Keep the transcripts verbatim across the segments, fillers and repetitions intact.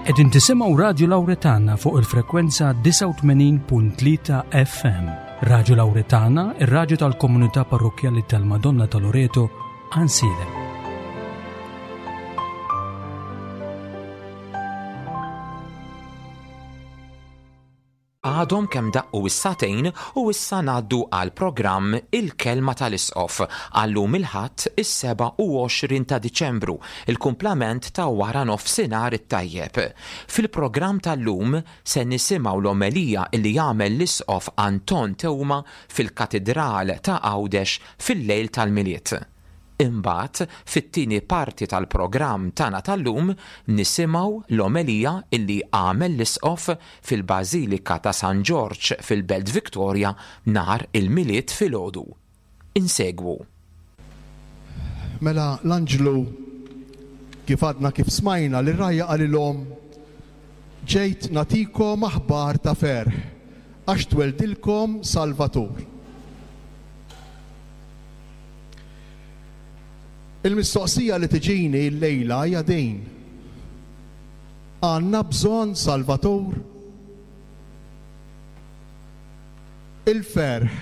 Qegħdin tisimgħu Radju Lawretana fuq il-frekwenza disgħa u tmenin punt tlieta F M. Radju Lawretana, ir-radju tal-komunità parrokkjali tal-Madonna ta' Loreto, Għajnsielem. Għadhom kemm daqqu is-sagħtejn u issa ngħaddu għal programm Il-Kelma tal-Isqof għallum il-Ħadd is-sebgħa u għoxrin ta' Diċembru, il-kumplament ta' wara nofsinhar it-tajjeb. Fil-programm tal-lum se nisimgħu l-omelija li jagħmel l-Isqof Anton Teuma fil-Katidral ta' Għawdex fil-lejl tal-Milied. Imbagħad, fit-tieni parti tal-programm tagħna tal-lum nisimgħu l-omelija illi għamel l-Isqof fil-Bażilika ta' San Ġorġ fil-Belt Victoria nhar il-Milied filgħodu. Insegwu. Mela l-anġlu kif għadna kif smajna li rajja qalilhom ġejt nagħtikom aħbar ta' ferħ għax tweldilkom Salvatur. Il-mistoqsija li tiġini llejla hija din. Għandna bżonn Salvatur? Il-ferħ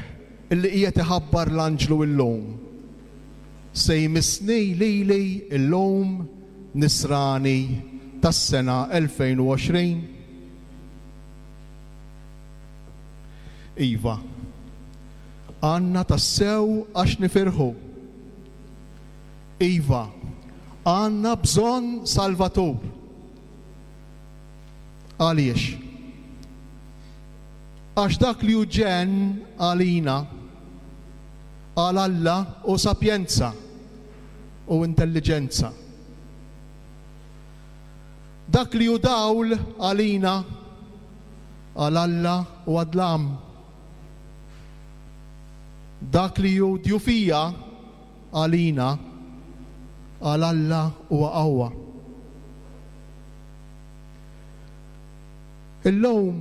illi qiegħed iħabbar l-anġlu llum se jmissni lili llum nisrani tas-sena elfejn u għoxrin? Iva, għandna tassew għax nifirħu. Iva, għandna bżonn Salvatur. Għaliex? Għax dak li hu ġenn għalina, għal Alla u sapjenza u intelligenza. Dak li hu dawl għalina, għal Alla u għadlam. Dak li hu djufija għalina, għal Alla u qawwa. Illum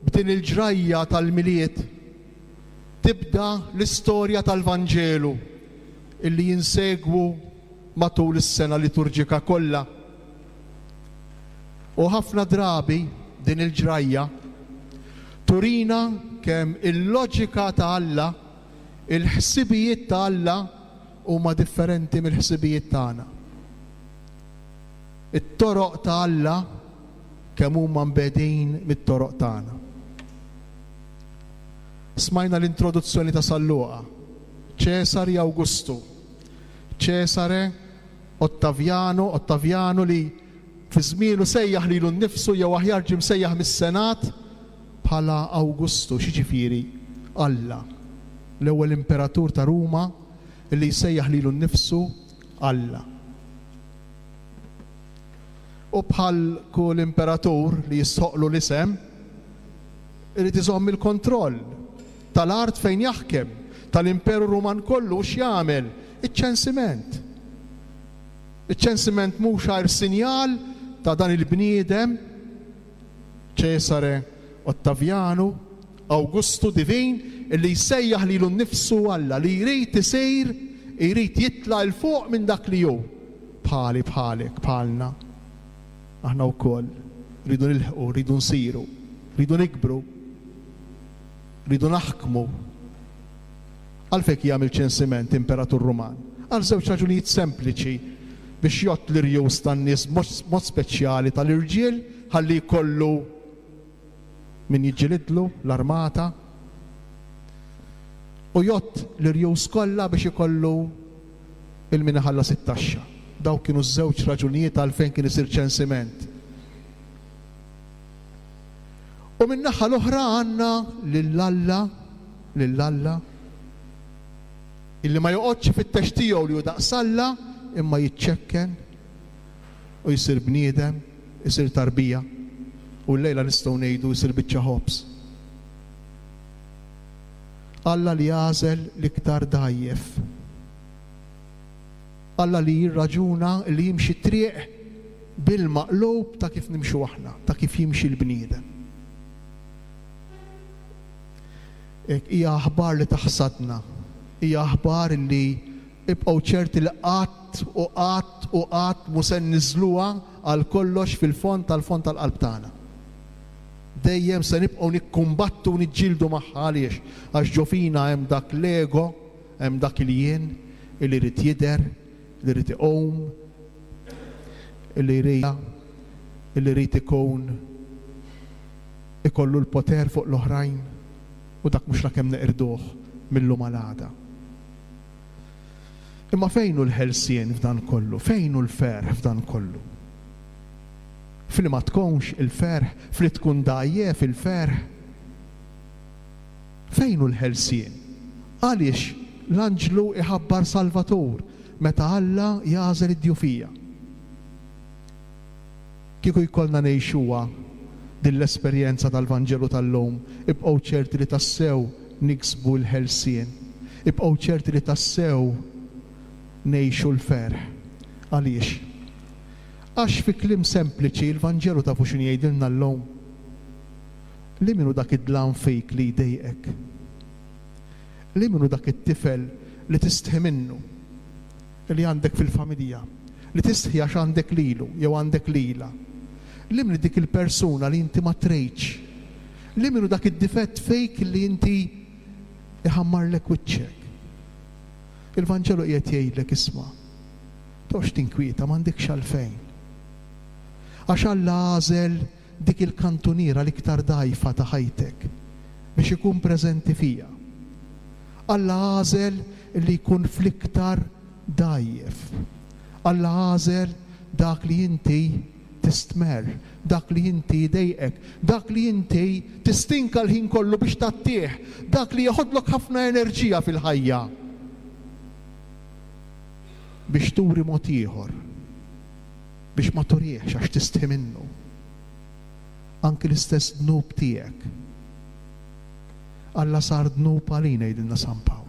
b'din il-ġrajja tal-Milied tibda l-istorja tal-Vanġelu illi jinsegwu matul is-sena liturġika kollha. U ħafna drabi din il-ġrajja turina kemm il-loġika ta' Alla, il-ħsibijiet ta' Alla huma differenti mill-ħsibijiet tagħna. It-toroq ta' Alla kemm huma mbegħdin mit-toroq tagħna. Smajna l-introduzzjoni ta' San Luqa, Ċesari Awgustu, Ċesare Ottaviano, Ottaviano li fi żmienu sejjaħ lilu nnifsu jew aħjar ġie msejjaħ mis-Senat bħala Awgustu, x'jiġifieri Alla, l-ewwel imperatur ta' Ruma li jsejjaħ lilu nnifsu Alla. U bħal kull imperatur li jistħoqlu l-isem, irid iżomm il-kontroll tal-art fejn jaħkem, tal-Imperu Ruman kollu, u x'jagħmel? Iċ-ċensiment. Iċ-ċensiment mhux għajr sinjal ta' dan il-bniedem Ċesare Ottaviano, Awgustu divin, illi jsejjaħ lilu nnifsu Alla, li jrid isir, jrid jitla' 'l fuq minn dak li hu. Bħali, bħalek, bħalna. Aħna wkoll rridu nilħqu, rridu nsiru, rridu nikbru, rridu naħkmu. Għalfejn jagħmel ċensiment imperatur Ruman? Għal żewġ raġunijiet sempliċi, biex jgħodd l-irjus tan-nies mod speċjali tal-irġiel ħalli jkollu min jiġġilidlu l-armata, u jgħodd l-irjus kollha biex ikollu il-min iħallas it-taxxa. Dawk kienu ż-żewġ raġunijiet għalfejn kien isir ċensiment. U min-naħa l-oħra għandna lil Alla, lil Alla illi ma joqgħodx ifittex tiegħu li hu daqs Alla, imma jiċċekken u jsir bniedem, isir tarbija, u llejla nistgħu ngħidu jsir biċċa ħobż. Alla li jagħżel l-iktar dgħajjef. Alla li jirraġuna li jimxi triq bil-maqlub ta' kif nimxu aħna, ta' kif jimxi l-bniedem. Hekk hija aħbar li taħsadna, hija aħbar li ibqgħu ċerti li qatt u qatt u qatt mhu se nniżluha għal kollox fil-fond tal-fond tal-qalb tagħna. Dejjem se nibqgħu nikkumbattu u niġġieldu magħha. Għaliex? Għax ġo fina hemm dak l-ego, hemm dak il-jien illi jrid jidher, li jrid iqum, illi jrid illi jrid ikun ikollu l-poter fuq l-oħrajn, u dak mhux lakemm neqirduh mill-lum għal għada. Imma fejn hu l-ħelsien f'dan kollu? Fejn hu l-ferħ f'dan kollu? Fli ma tkunx il-ferħ, fli tkun dgħajjef il-ferħ. Fejn hu l-ħelsien? Għaliex l-anġlu iħabbar Salvatur meta Alla jagħżel id-djufija? Kieku jkollna ngħixuha din l-esperjenza tal-Vanġelu tal-lum, ibqgħu ċerti li tassew niksbu l-ħelsien, ibqgħu ċerti li tassew ngħixu l-ferħ. Għaliex? Għax fi kliem sempliċi l-Vanġelu tafu x'inhu jgħidilna llum? Li min hu dak id-dlam fik li jdejqek? Li min hu dak it-tifel li tistħi minnu, li għandek fil-familja, li tistħi għax għandek lilu jew għandek lila? Li min dik il-persuna li inti ma trejtx? Li min hu dak id-difett fejk li inti iħammarlek wiċċek? Il-Vanġelu qiegħed jgħidlek isma', toqgħodx tinkwieta, m'għandekx għalfejn. Għax Alla għażel dik il-kantuniera l-iktar dgħajfa ta' ħajtek biex ikun preżenti fija. Alla għażel li jkun fl-iktar dgħajjef. Alla għażel dak li inti tistmerr, dak li inti jdejqek, dak li inti tistinka l-ħin kollu biex tattih, dak li jeħodlok ħafna enerġija fil-ħajja biex turi mod ieħor, biex ma turiex għax tistħi minnu. Anki l-istess dnub tiegħek. Alla sar dnub għalina, jgħidilna San Pawl.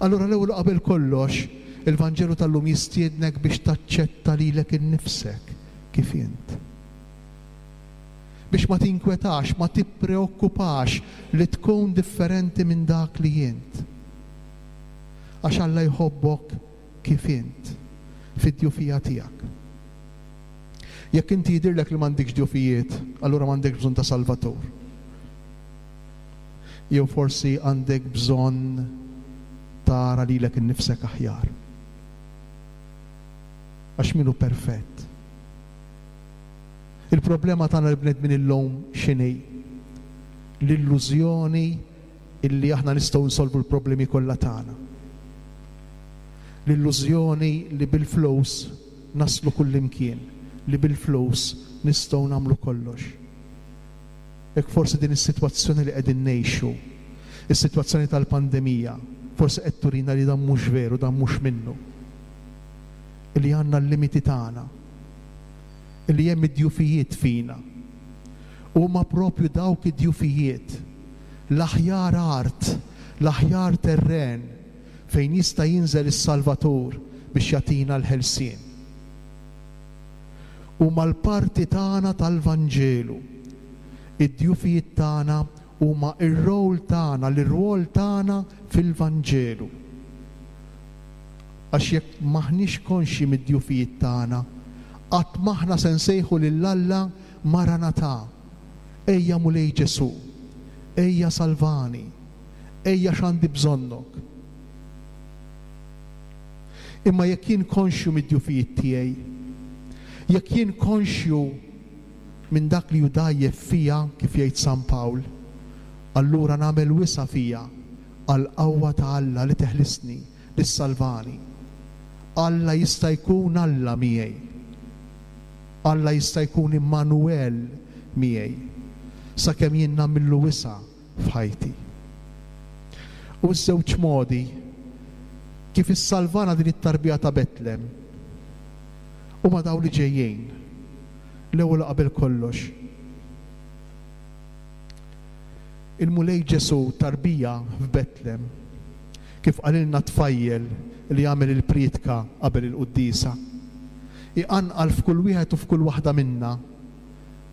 Allura l-ewwel qabel kollox, il-Vanġelu tal-lum jistiednek biex taċċetta lilek innifsek kif int. Biex ma tinkwetax, ma tippreokkupax li tkun differenti minn dak li int. Għax Alla jħobbok kif int, fid-djufija tiegħek. Jekk inti jidhirlek li m'għandekx djufijiet, allura m'għandekx bżonn ta' Salvatur. Jew forsi għandek bżonn tara lilek innifsek aħjar. Għax min hu perfett? Il-problema tagħna l-bnedmin illum x'inhi? L-illużjoni illi aħna nistgħu nsolvu l-problemi kollha tagħna. L-illużjoni li bil-flus naslu kullimkien, li bil-flus nistgħu nagħmlu kollox. Hekk forsi din is-sitwazzjoni li qegħdin ngħixu, is-sitwazzjoni tal-pandemija, forsi qed turina li dan mhux veru, dan mhux minnu. Illi għandna l-limiti tagħna, illi hemm id-djufijiet fina. Huma propju dawk id-djufijiet, l-aħjar art, l-aħjar terren fejn jista' jinżel is-Salvatur biex jagħtina l-ħelsien. Huma l-parti tagħna tal-Vanġelu. Id-djufijiet tagħna huma r-rol tagħna, l-irwol tagħna fil-Vanġelu. Għax jekk maħniex konxji mid-djufijiet tagħna, qatt maħna se nsejħu lil Alla Maranatha. Ejja Mulej Ġesu, ejja salvani, ejja x'għandi bżonnok. Imma jekk jien konxju mid-djufijiet tiegħi, jekk jien konxju minn dak li hu dgħajjef fija, kif jgħid San Pawl, allura nagħmel wisa' fija għall-qawwa ta' Alla li teħlisni, li ssalvani. Alla jista' jkun Alla miegħi. Alla jista' jkun Immanuel miegħi, sakemm jien nagħmillu wisa' f'ħajti. U ż-żewġ modi kif issalvana din it-tarbija ta' Betlem huma dawn li ġejjin. L-ewwel qabel kollox, il-Mulej Ġesu tarbija f'Betlem, kif qalilna tfajjel li jagħmel il-prietka qabel il-quddiesa, iqanqal f'kull wieħed u f'kull waħda minna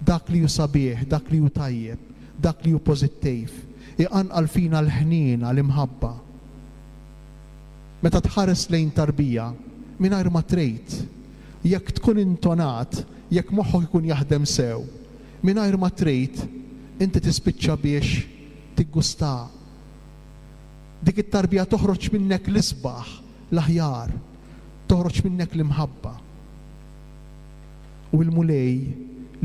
dak li hu sabiħ, dak li hu tajjeb, dak li hu pożittiv, iqanqal fina l-ħniena, l-imħabba. Meta tħares lejn tarbija, mingħajr ma trid, jekk tkun intonat, jekk moħħok ikun jaħdem sew, mingħajr ma trid, inti tispiċċa biex tiggusta. Dik it-tarbija toħroġ minnek l-isbaħ, l-aħjar, toħroġ minnek l-imħabba. U l-Mulej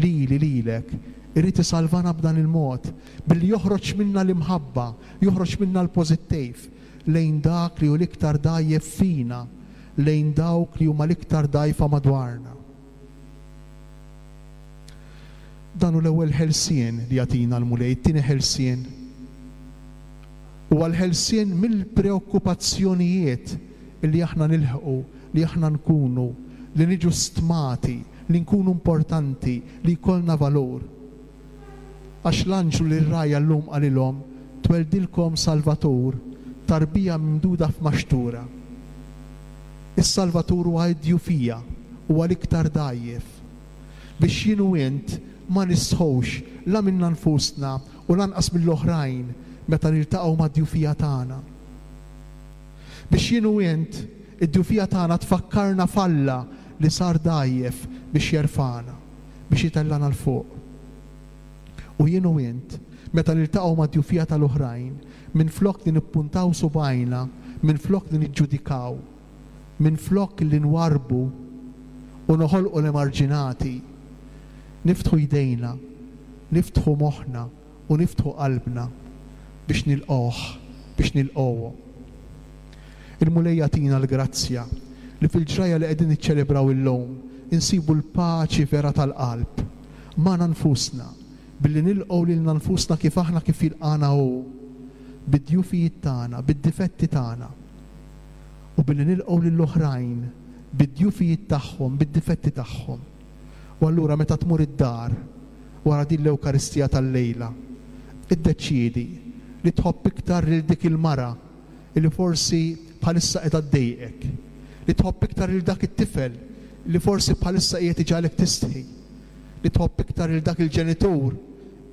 lili lilek irid isalvana b'dan il-mod, billi joħroġ minna l-imħabba, joħroġ minna l-pożittiv lejn dak li hu l-iktar dgħajjef fina, lejn dawk li huma l-iktar dgħajfa madwarna. Dan hu l-ewwel ħelsien li jagħtina l-Mulej. It-tieni ħelsien huwa l-ħelsien mill-preokkupazzjonijiet li aħna nilħqu, li aħna nkunu, li niġu stmati, li nkunu importanti, li jkollna valur. Għax l-anġlu li r-rgħajja llum qalilhom, tweldilkom Salvatur, tarbija mimduda f'maxtura. Is-Salvatur huwa d-djufija, huwa l-iktar dgħajjef. Biex jien u int ma nistħux la minna nfusna u lanqas mill-oħrajn meta niltaqgħu mad-djufija tagħna. Biex jien u int id-djufija tagħna tfakkarna f'Alla li sar dgħajjef biex jerfagħna, biex jitellana 'l fuq. U jien u int, meta niltaqgħu mad-djufija tal-oħrajn, minflok li nippuntaw subgħajna, minflok li niġġudikaw, minflok li nwarbu u noħolqu l-emarġinati, niftħu jdejna, niftħu moħħna u niftħu qalbna biex nilqgħuh, biex nilqgħuhom. Il-Mulej jagħtina l-grazzja li fil-ġrajja li qegħdin niċċelebraw illum insibu l-paċi vera tal-qalb magħna nfusna, billi nilqgħu lilna nfusna kif aħna kif jilqana hu, bid-djufijiet tagħna, bid-difetti tagħna, u billi nilqgħu lill-oħrajn bid-djufijiet tagħhom, bid-difetti tagħhom. U allura meta tmur id-dar wara din l-Ewkaristija tal-lejla, iddeċiedi li tħobb iktar lil dik il-mara li forsi bħalissa qiegħda ddejqek, li tħobb iktar lil dak it-tifel li forsi bħalissa qiegħed iġagħlek tistħi, li tħobb iktar lil dak il-ġenitur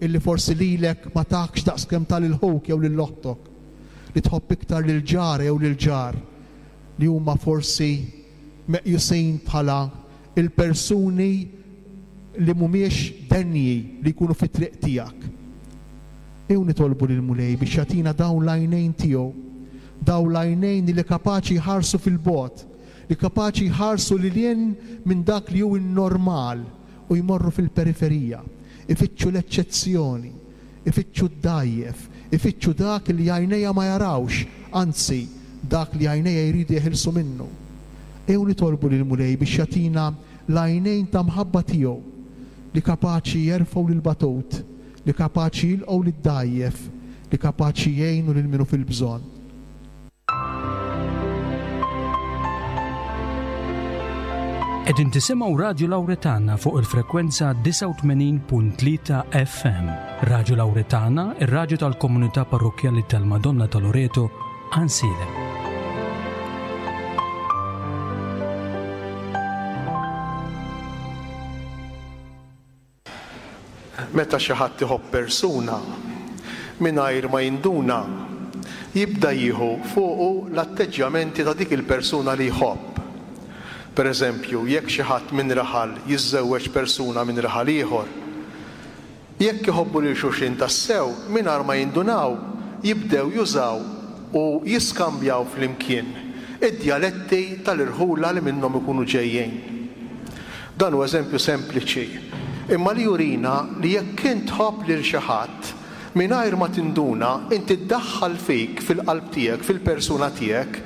illi forsi lilek ma takx daqskemm ta lil ħuk jew lil oħtok, li tħobb iktar lil ġar jew lil ġar li huma forsi meqjusin bħala il-persuni li mhumiex denji li jkunu fit-triq tiegħek. Ejjew nitolbu lil Mulej biex jagħtina dawn l-għajnejn tiegħu, dawn l-għajnejn li kapaċi jħarsu fil-bogħod, li kapaċi jħarsu lil hinn minn dak li hu n-normal u jmorru fil-periferija, ifittxu l-eċċezzjoni, ifittxu d-dgħajjef, ifittxu dak li għajnejja ma jarawx, anzi dak li għajnejja jridu jeħilsu minnu. Ejjew nitolbu lil Mulej biex jagħtina l-għajnejn ta' mħabba tiegħu li kapaċi jerfgħu lil batut, li kapaċi jilqgħu lid-dgħajjef, li kapaċi jgħinu lil minu fil-bżonn. Qegħdin tisimgħu Radju Lawretana fuq il-frekwenza disgħa u tmenin punt tlieta F M. Radju Lawretana, ir-radju tal-komunità parrokkjali tal-Madonna ta' Loreto, Għajnsielem. Meta xi ħadd iħobb persuna mingħajr ma jinduna, jibda jieħu fuqu l-atteġġjamenti ta' dik il-persuna li jħobb. Per eżempju, jekk xi ħadd minn raħal jiżżewweġ persuna minn raħal ieħor, jekk iħobbu lil xulxin tassew mingħajr ma jindunaw, jibdew jużaw u jiskambjaw flimkien id-djaletti tal-irħula li minnhom ikunu ġejjin. Dan hu eżempju sempliċi, imma li jurina li jekk int tħobb lil xi ħadd mingħajr ma tinduna, inti ddaħħal fik, fil-qalb tiegħek, fil-persuna tiegħek,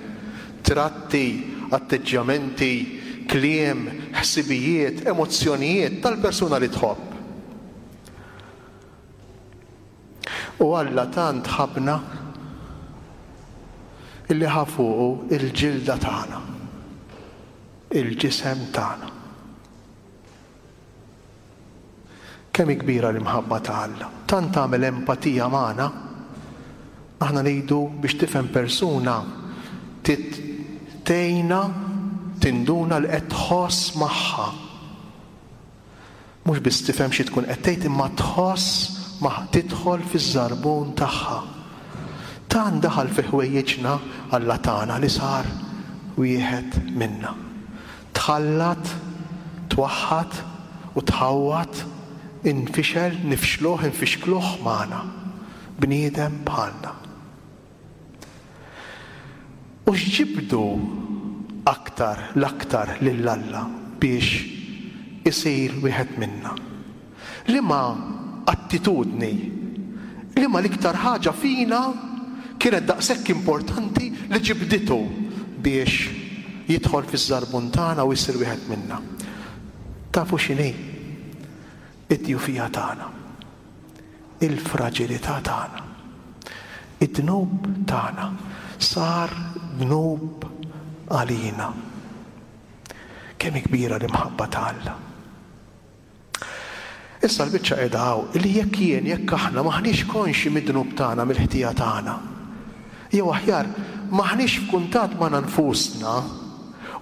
tratti, atteġġjamenti, kliem, ħsibijiet, emozzjonijiet tal-persuna li tħobb. U Alla tant ħabna illi ħa fuqu il-ġilda tagħna, il-ġisem tagħna. Kemm hi kbira l-imħabba ta' Alla. Tant tagħmel empatija magħna. Aħna ngħidu biex tifhem persuna tgħinha tinduna li qed tħoss magħha. Mhux biss tifhem xi tkun qed tgħid, imma tħoss ma tidħol fiż-żarbun tagħha. Tant daħal fi ħwejjiġna Alla tagħna li sar wieħed minna. Tħallat, twaħħad u tħawwad, infixel, nifxluh, infixkluh magħna. Bniedem bħalna. U x'ġibdu aktar l-aktar lil Alla biex isir wieħed minna? Liema attitudni, liema l-iktar ħaġa fina kienet daqshekk importanti li ġibditu biex jidħol fiż-żarbun tagħna u jsir wieħed minna? Tafu x'inhi? Id-djufija tagħna, il-fraġilità tagħna, id-dnub tagħna sar dnub għalina. Kemm kbira l-imħabba ta' Alla. Issa l-biċċa qiegħda hawn li jekk jien, jekk aħna maħniex konxi mid-dnub tagħna, mill-ħtija tagħna, jew aħjar maħniex f'kuntatt ma' nfusna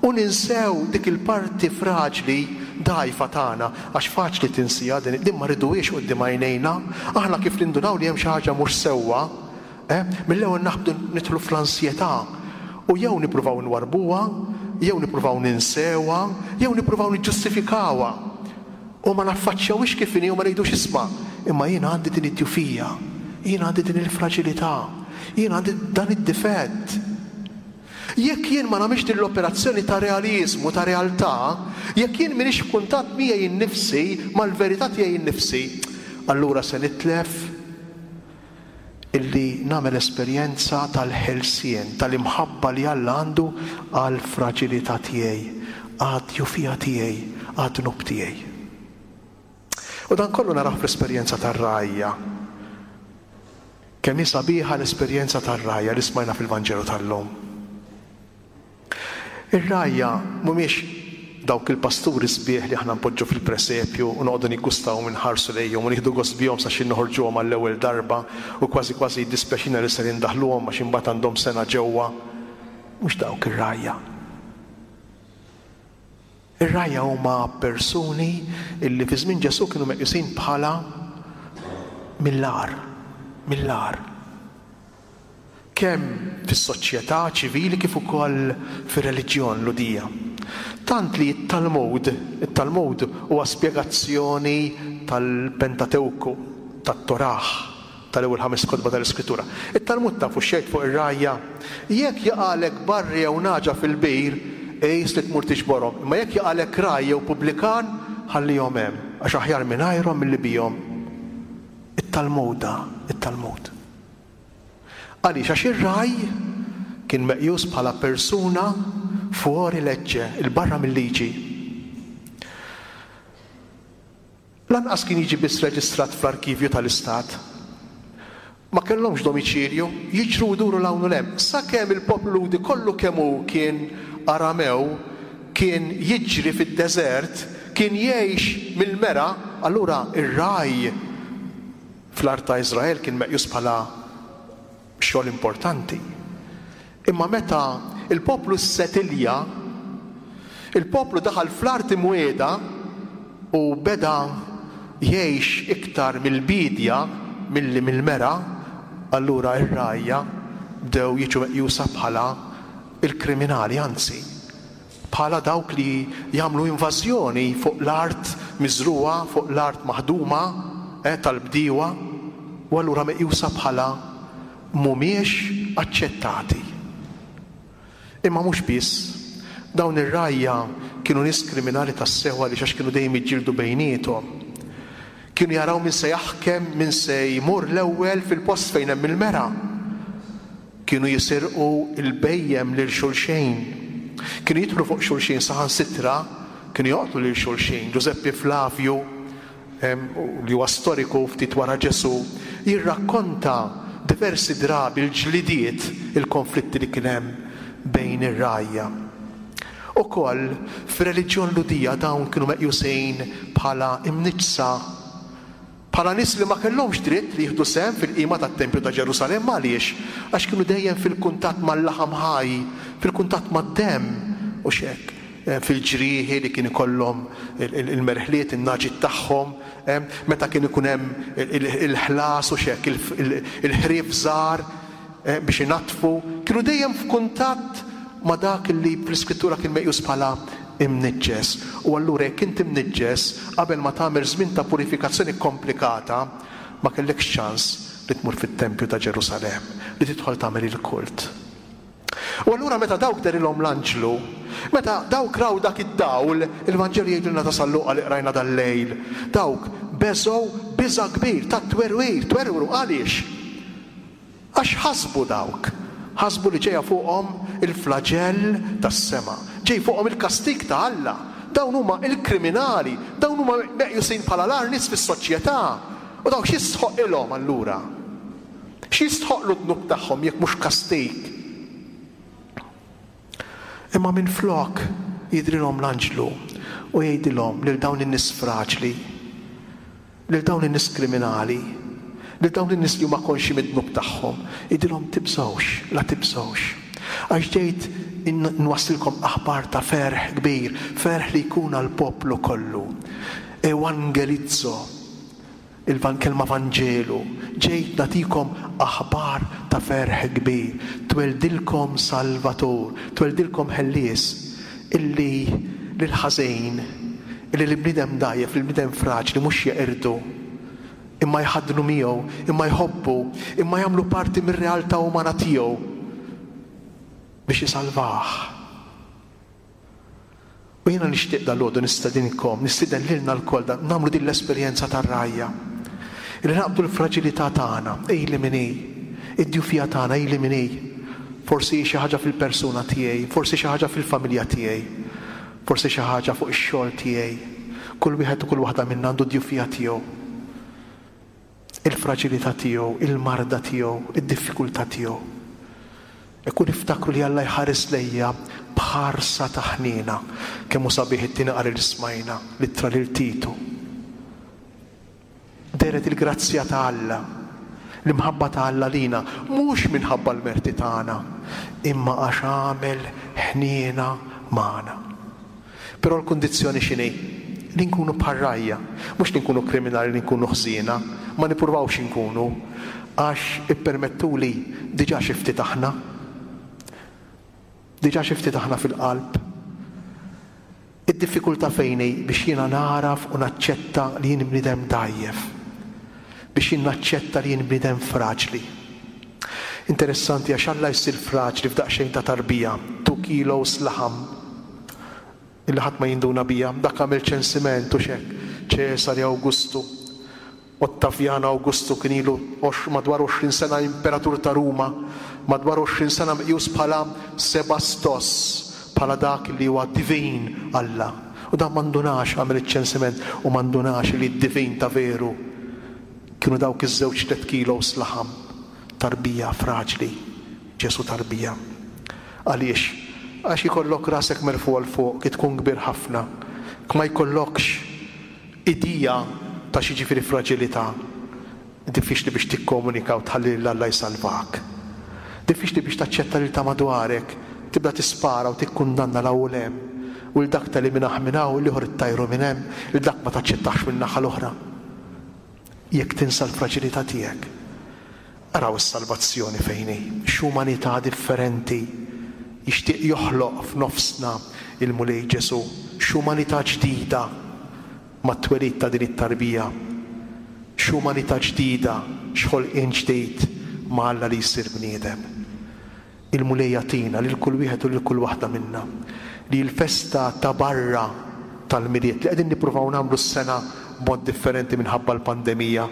u ninsew dik il-parti fraġli dgħajfa tagħna, għax faċli tinsija din, din ma rriduhiex quddiem għajnejna. Aħna kif nindunaw li hemm xi ħaġa mhux sewwa, eh, mill-ewwel naħbdu nidħlu fl-ansjetà u jew nippruvaw nwarbuha, jew nippruvaw ninsewha, jew nippruvaw niġġustifikawha. U ma naffaċċjawhiex kif inhi u ma ngħidux isma', imma jiena għandi din id-djufija, jiena għandi din il-fraġilità, jiena għandi dan id-difett. Jekk jien ma nagħmilx din l-operazzjoni ta' realiżmu, ta' realtà, jekk jien m'iniex f'kuntatt miegħi nnifsi, mal-verità tiegħi nnifsi, allura se nitlef illi nagħmel esperjenza tal-ħelsien, tal-imħabba li Alla għandu għall-fraġilità tiegħi, għad-djufija tiegħi, għad-dnub tiegħi. U dan kollu naraw fl-esperjenza tar-rgħajja. Kemm hi sabiħa l-esperjenza tar-rgħajja li smajna fil-Vanġelu tal-lum. Ir-rgħajja mhumiex dawk il-pasturi sbieħ li aħna npoġġu fil-presepju u noqogħdu niggustaw minħarsu lejhom u nieħdu gost bihom sa xi noħorġuhom għall-ewwel darba u kważi kważi jiddispjaċina li ser indaħluhom għax imbagħad għandhom sena ġewwa. Mhux dawk ir-rgħajja. Ir-rgħajja huma persuni illi fi żmien Ġesù kienu meqjusin bħala mill-agħar, mill-agħar. Kemm fis-soċjetà ċivili kif ukoll fir-reliġjon Lhudija. Tant li t-Talmud, it-Talmud huwa spjegazzjoni tal-Pentatewku, tat-Torah, tal-ewwel ħames kotba tal-Iskrittura. It-Talmud tafu xejn fuq ir-rgħajja. Jekk jaqalek barri jew naġa fil-bir, ejs li tmur tiġborhom. Imma jekk jaqalek raj jew pubblikan, ħallihom hemm, għax aħjar mingħajrhom milli bihom. It-Talmuda, it-Talmud. Għaliex? Għax ir-raj kien meqjus bħala persuna fuori legge, il-barra mill-liġi. Lanqas kien jiġi biss reġistrat fl-arkivju tal-Istat. Ma kellhomx domiċilju, jiġru jduru 'l hawn u 'l hemm. Sakemm il-poplu Lhudi kollu kemm hu kien Aramew, kien jiġri fid-deżert, kien jgħix mill-mera, allura ir-raj fl-art ta' Iżrael kien meqjus bħala xogħol importanti. Imma meta il-poplu ssetilja, il-poplu daħal fl-art imwiegħda u beda jgħix iktar mill-bidja milli mill-mera, allura ir-rgħajja bdew jiġu meqjusa bħala il-kriminali, anzi bħala dawk li jagħmlu invażjoni fuq l-art miżruha, fuq l-art maħduma eh, tal-bdiewa, u allura meqjusa bħala mhumiex aċċettati. Imma mhux biss, dawn ir-rgħajja kienu nies kriminali tassew għaliex għax kienu dejjem jiġġieldu bejniethom. Kienu jaraw min se jaħkem, min se jmur l-ewwel fil-post fejn hemm il-mera. Kienu jisirqu il-bejjem lil xulxejn. Kienu jidħlu fuq xulxin saħansitra, kienu joqtlu lil xulxin. Giuseppe Flavio, li huwa storiku ftit wara Ġesù, jirrakkonta diversi drabi l-ġlidiet, il-konflitti li kien hemm bejn ir-rgħajja. Ukoll fir-reliġjon Lhudija dawn kienu meqjusin bħala imniġsa, bħala nies li ma kellhomx dritt li jieħdu sehem fil-qima tat-Tempju ta' Ġerusalemm. Għaliex? Għax kienu dejjem fil-kuntatt mal-laħam ħaj, fil-kuntatt mad-demm u x'hekk, fil-ġrieħi li kien ikollhom il-merħliet, in-naġit tagħhom, meta kien ikun hemm il-ħlas u x'hekk, il-ħrief żgħar biex inatfu, kienu dejjem f'kuntatt ma' dak li fl-Iskrittura kien meqjus bħala imniġġes. U allura jekk inti mniġġes, qabel ma tagħmel żmien ta' purifikazzjoni komplikata, ma kellekx ċans li tmur fit-tempju ta' Ġerusalemm, li tidħol tagħmel il-kult. U allura meta dawk dehrilhom l-anġlu, meta dawk raw dak id-dawl, il-Vanġelu jgħidulna ta' San Luqa li qrajna dal-lejl, dawk beżgħu biża' kbir ta' twerwir, twerwru għaliex? Għax ħasbu dawk, ħasbu li ġejja fuqhom il-flaġell tas-sema, ġej fuqhom il-kastig ta' Alla. Dawn huma il-kriminali, dawn huma meqjusin bħala l-agħar nies fis-soċjetà. U dawk x'jistħoqilhom allura? X'jistħoqlu d-dnub tagħhom jekk mhux kastig? Imma minflok jidrilhom l-anġlu u jgħidilhom lil dawn in-nies fraġli, lil dawn in-nies kriminali, lil dawn in-nies li huma konxji mid-dnub tagħhom, jgħidilhom tibżgħux, la tibżgħux. Għax ġejt nwassilkom aħbar ta' ferħ kbir, ferħ li jkun għall-poplu kollu. Evangelizzo, il-kelma Vanġelu, ġejt nagħtikom aħbar ta' ferħ kbir, tweldilkom Salvatur, tweldilkom ħellies, illi lil-ħażin, illi l-bniedem dgħajjef, l-bniedem fraġli mhux jeqirdu, imma jħaddnu miegħu, imma jħobbu, imma jagħmlu parti mir-realtà umana tiegħu biex jisalvah. U jiena nixtieq dalgħodu nistedinkom, nistieden lilna lkoll nagħmlu din l-esperjenza tar-rgħajja. Illi naqbdu l-fraġilità tagħna, ej li min hi, id-djufija tagħna, ej li min hi. Forsi xi ħaġa fil-persuna tiegħi, forsi xi ħaġa fil-familja tiegħi, forsi xi ħaġa fuq ix-xogħol tiegħi. Kull wieħed u kull waħda minna għandu d-djufija tiegħu. Il-fraġilità tiegħu, il-marda tiegħu, id-diffikultà tiegħu. Ikun niftakru li Alla jħares lejja b'ħarsa ta' ħniena. Kemm hu sabiħ it-tieni qari li smajna, l-ittra lil Titu. Dehret il-grazzja ta' Alla, l-imħabba ta' Alla lina, mhux minħabba l-merti tagħna, imma għax għamel ħniena magħna. Però l-kundizzjoni x'inhi? Li nkunu bħar-rgħajja, mhux li nkunu kriminali, li nkunu ħżiena, ma nippruvawx inkunu, għax ippermettuli diġà xi ftit aħna. Diġà xi ftit aħna fil-qalb. Id-diffikultà fejn hi biex jiena naraf u naċċetta li jien bniedem dgħajjef, biex jien naċċetta li jien bniedem fraġli. Interessanti għax Alla jsir fraġli f'daqsxejn ta' tarbija, two kilos laħam, illi ħadd ma jinduna bija, dak għamel ċensiment u xek, Ċesari Awgustu, Ottaviano Augustu kien ilu madwar għoxrin sena imperatur ta' Ruma, madwar għoxrin sena meqjus bħala Sebastos, bħala dak li huwa divin Alla. U dan m'għandunax għamel iċ-ċensiment u m'għandunax li d-divin ta' veru kienu dawk iż-żewġ tliet kilos laħam, tarbija fraġli, Ġesu tarbija. Għaliex? Għax ikollok rasek merfu għal fuq, ki tkun kbir ħafna, ma jkollokx idea ta' xi ġifieri fraġilità, diffiċli biex tikkomunika u tħalli lil Alla jsalvak. Diffiċli biex taċċetta lil ta' madwarek, tibda tispara u tikkundanna l hawn hemm, u l dak teliminah minn hawn, l-ieħor ittajru minn hemm, il dak ma taċċettax minn naħa l-oħra. Jekk tinsa l-fraġilità tiegħek. Araw is-salvazzjoni fejn hi, x'umanità differenti jixtieq joħloq f'nofsna il-Mulej Ġesu, x'umanità ġdida mat-twelid ta' din it-tarbija, x'umanità ġdida, x'ħolqien ġdid ma' Alla li jsir bniedem. Il-Mulej jagħtina lil kull wieħed u lil kull waħda minna li l-festa ta' barra tal-Milied li qegħdin nippruvaw nagħmlu s-sena b'mod differenti minħabba l-pandemija,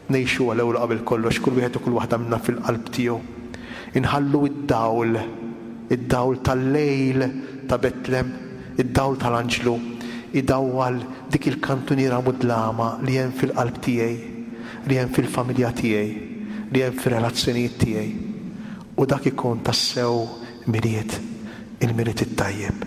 ngħixu għal ewwel qabel kollox kull wieħed u kull waħda minna fil-qalb tiegħu. Inħallu id-dawl, id-dawl tal-lejl ta' Betlem, id-dawl tal-anġlu, idawwal dik il-kantuniera mudlama li hemm fil-qalb tiegħi, li hemm fil-familja tiegħi, li hemm fir-relazzjonijiet tiegħi. U dak ikun tassew Milied, il-Milied it-tajjeb.